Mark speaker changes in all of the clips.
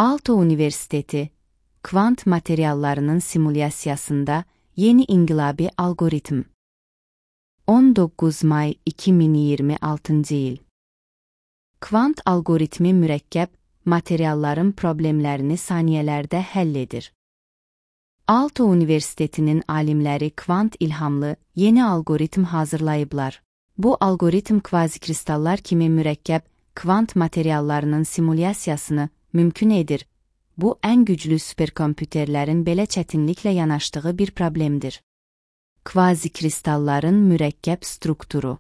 Speaker 1: Aalto Universiteti, kvant materiallarının simulyasiyasında yeni inqilabi algoritm. 19 may 2026 il. Kvant algoritmi mürəkkəb materialların problemlərini saniyələrdə həll edir. Aalto Universitetinin alimləri kvant ilhamlı yeni algoritm hazırlayıblar. Bu algoritm kvazikristallar kimi mürəkkəb kvant materiallarının simulyasiyasını mümkün edir. Bu, ən güclü superkompüterlərin belə çətinliklə yanaşdığı bir problemdir. Kvazikristalların mürəkkəb strukturu.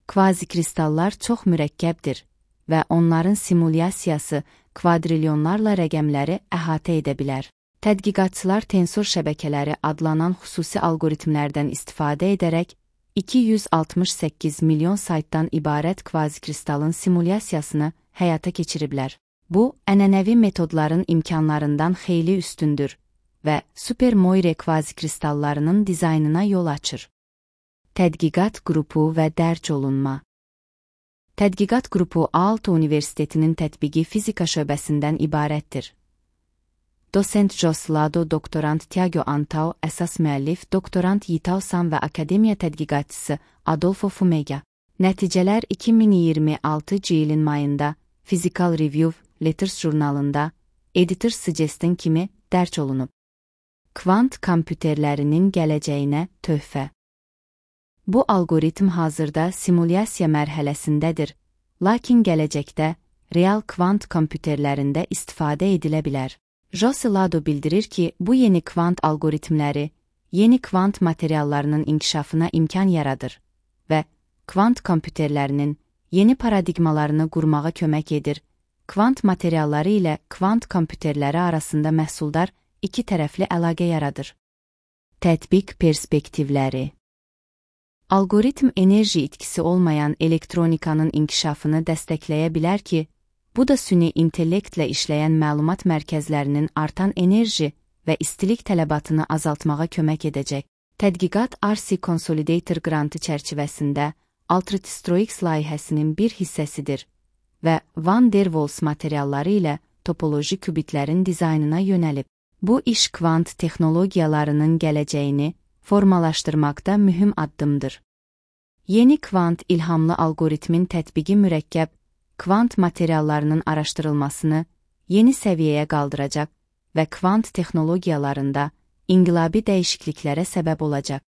Speaker 1: Kvazikristallar çox mürəkkəbdir və onların simulyasiyası kvadrilyonlarla rəqəmləri əhatə edə bilər. Tədqiqatçılar tensor şəbəkələri adlanan xüsusi algoritmlərdən istifadə edərək 268 milyon saytdan ibarət kvazikristalın simulyasiyasını həyata keçiriblər. Bu, ənənəvi metodların imkanlarından xeyli üstündür və Super-Moire kvazikristallarının dizaynına yol açır. Tədqiqat qrupu və dərc olunma. Tədqiqat qrupu Aalto Universitetinin tətbiqi fizika şöbəsindən ibarətdir. Dosent Jos Lado, doktorant Tiago Antao, əsas müəllif doktorant Yitao San və akademiya tədqiqatçısı Adolfo Fumega. Nəticələr 2026 ilin mayında Physical Review Letters jurnalında Editor Suggestion kimi dərc olunub. Kvant kompüterlərinin gələcəyinə töhfə. Bu algoritm hazırda simulyasiya mərhələsindədir, lakin gələcəkdə real kvant kompüterlərində istifadə edilə bilər. Jose Lado bildirir ki, bu yeni kvant algoritmləri yeni kvant materiallarının inkişafına imkan yaradır və kvant kompüterlərinin yeni paradigmalarını qurmağa kömək edir. Kvant materialları ilə kvant kompüterləri arasında məhsuldar iki tərəfli əlaqə yaradır. Tətbiq perspektivləri. Algoritm enerji itkisi olmayan elektronikanın inkişafını dəstəkləyə bilər ki, bu da süni intellektlə işləyən məlumat mərkəzlərinin artan enerji və istilik tələbatını azaltmağa kömək edəcək. Tədqiqat RC Consolidator qrantı çərçivəsində Ultratistroix layihəsinin bir hissəsidir və Van der Waals materialları ilə topoloji kubitlərin dizaynına yönəlib. Bu iş kvant texnologiyalarının gələcəyini formalaşdırmaqda mühüm addımdır. Yeni kvant ilhamlı algoritmin tətbiqi mürəkkəb kvant materiallarının araşdırılmasını yeni səviyyəyə qaldıracaq və kvant texnologiyalarında inqilabi dəyişikliklərə səbəb olacaq.